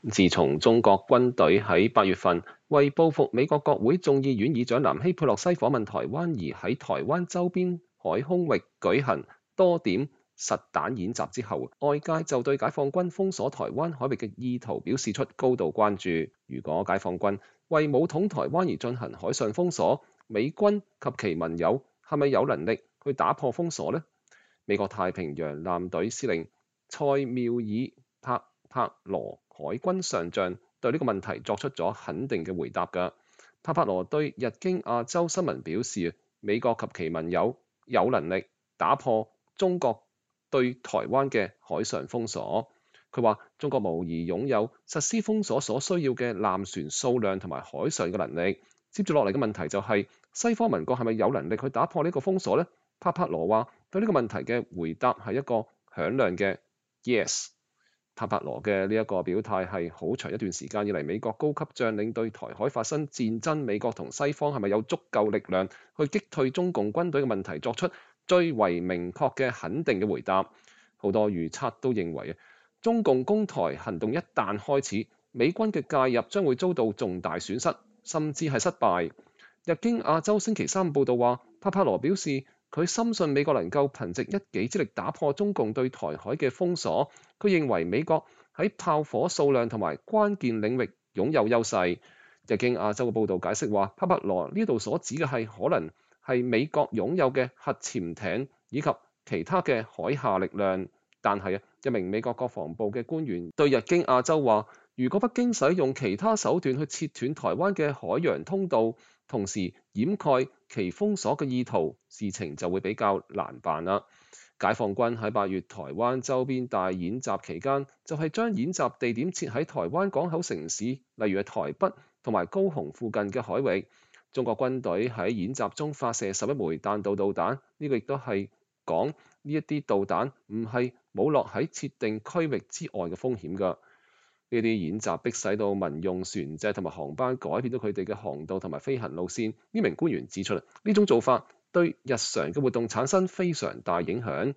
自從中國軍隊喺8月份為報復美國國會眾議院議長南希佩洛西訪問台灣而喺台灣周邊海空域舉行多點實彈演習之後，外界就對解放軍封鎖台灣海域嘅意圖表示出高度關注。如果解放軍為武統台灣而進行海上封鎖，美軍及其盟友係咪有能力去打破封鎖呢？美國太平洋艦隊司令塞繆爾帕羅海軍上將對呢個問題作出咗肯定嘅回答㗎。帕羅對日經亞洲新聞表示，美國及其盟友有能力打破中國對台灣嘅海上封鎖。佢話中國無疑擁有實施封鎖所需要嘅艦船數量同埋海上嘅能力。接住落嚟嘅問題就係、西方盟國係咪有能力去打破呢個封鎖呢？帕羅話對呢個問題嘅回答係一個響亮嘅 yes。帕羅嘅呢一個表態係好長一段時間以嚟美國高級將領對台海發生戰爭，美國同西方係咪有足夠力量去擊退中共軍隊嘅問題作出最為明確嘅肯定嘅回答。好多預測都認為中共攻台行動一旦開始，美軍嘅介入將會遭到重大損失，甚至係失敗。日經亞洲星期三報導話，帕羅表示佢深信美國能夠憑藉一己之力打破中共對台海嘅封鎖。佢認為美國喺炮火數量同埋關鍵領域擁有優勢。日經亞洲嘅報導解釋話，帕羅呢度所指嘅係可能係美國擁有嘅核潛艇以及其他嘅海下力量。但係一名美國國防部嘅官員對日經亞洲話，如果北京使用其他手段去切斷台灣嘅海洋通道，同時掩蓋其封鎖嘅意圖，事情就會比較難辦啦。解放軍喺8月台灣周邊大演習期間，就係將演習地點設喺台灣港口城市，例如係台北同埋高雄附近嘅海域。中國軍隊喺演習中發射11枚彈道導彈，呢個亦都係講呢一啲導彈唔係冇落喺設定區域之外嘅風險㗎。呢啲演習迫使到民用船隻同埋航班改變咗佢哋嘅航道同埋飛行路線。呢名官員指出，呢種做法對日常嘅活動產生非常大影響。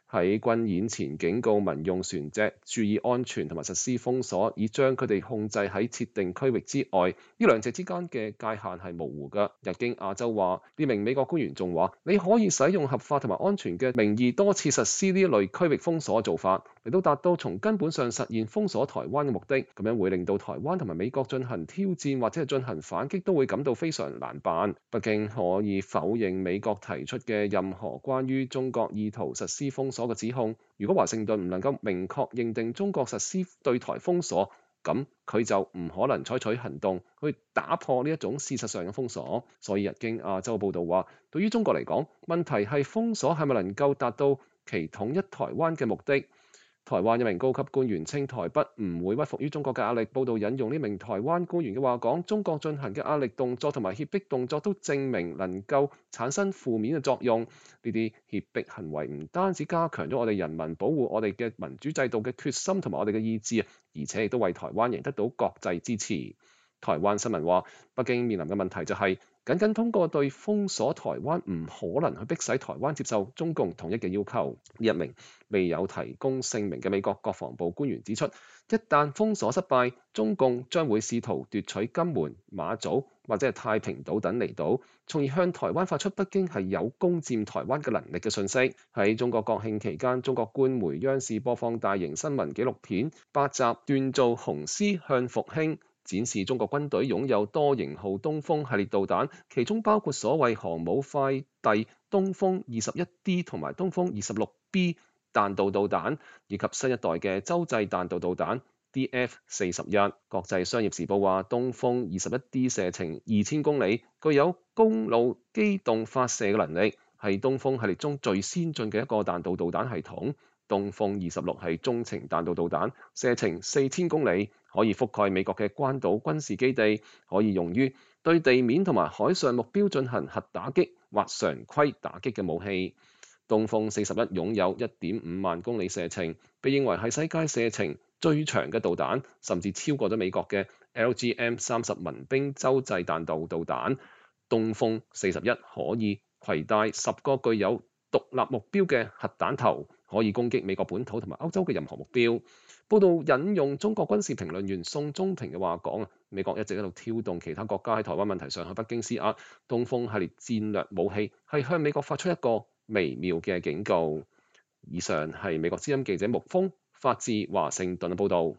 喺軍演前警告民用船隻注意安全同埋實施封鎖，以將佢哋控制喺設定區域之外。呢兩者之間嘅界限係模糊㗎。日經亞洲話，呢名美國官員仲話，你可以使用合法同埋安全嘅名義多次實施呢一類區域封鎖嘅做法，嚟到達到從根本上實現封鎖台灣嘅目的。咁樣會令到台灣同埋美國進行挑戰或者係進行反擊都會感到非常難辦。北京可以否認美國提出嘅任何關於中國意圖實施封鎖嘅指控。如果華盛頓唔能夠明確認定中國實施對台封鎖，咁佢就唔可能採取行動去打破呢一種事實上嘅封鎖。所以日經亞洲報導話，對於中國嚟講，問題係封鎖係咪能夠達到其統一台灣嘅目的。台灣一名高級官員稱，台北唔會屈服於中國嘅壓力。報道引用呢名台灣官員嘅話講，中國進行嘅壓力動作同埋脅迫動作都證明能夠產生負面嘅作用。呢啲脅迫行為唔單止加強咗我哋人民保護我哋嘅民主制度嘅決心同埋我哋嘅意志，而且亦都為台灣贏得到國際支持。台灣新聞話，北京面臨嘅問題就係，僅通過對封鎖台灣唔可能去迫使台灣接受中共統一嘅要求。呢一名未有提供姓名嘅美國國防部官員指出，一旦封鎖失敗，中共將會試圖奪取金門、馬祖或者係太平島等離島，從而向台灣發出北京係有攻佔台灣嘅能力嘅訊息。喺中國國慶期間，中國官媒央視播放大型新聞紀錄片8集鍛造雄獅向復興，展示中國軍隊擁有多型號東風系列導彈，其中包括所謂航母快遞東風21D 同埋東風26B 彈道導彈，以及新一代嘅洲際彈道導彈 DF-41。國際商業時報話，東風21D 射程2000公里，具有公路機動發射嘅能力，係東風系列中最先進嘅一個彈道導彈系統。東風26係中程彈道導彈，射程4000公里，可以覆蓋美國嘅關島軍事基地，可以用於對地面同埋海上目標進行核打擊或常規打擊嘅武器。東風41擁有1.5萬公里射程，被認為係世界射程最長嘅導彈，甚至超過咗美國嘅 LGM-30民兵洲際彈道導彈。東風41可以攜帶10個具有獨立目標嘅核彈頭，可以攻擊美國本土同埋歐洲嘅任何目標。報道引用中國軍事評論員宋忠平嘅話講，美國一直喺度挑動其他國家喺台灣問題上向北京施壓，東風系列戰略武器係向美國發出一個微妙嘅警告。以上係美國之音記者沐風發自華盛頓嘅報導。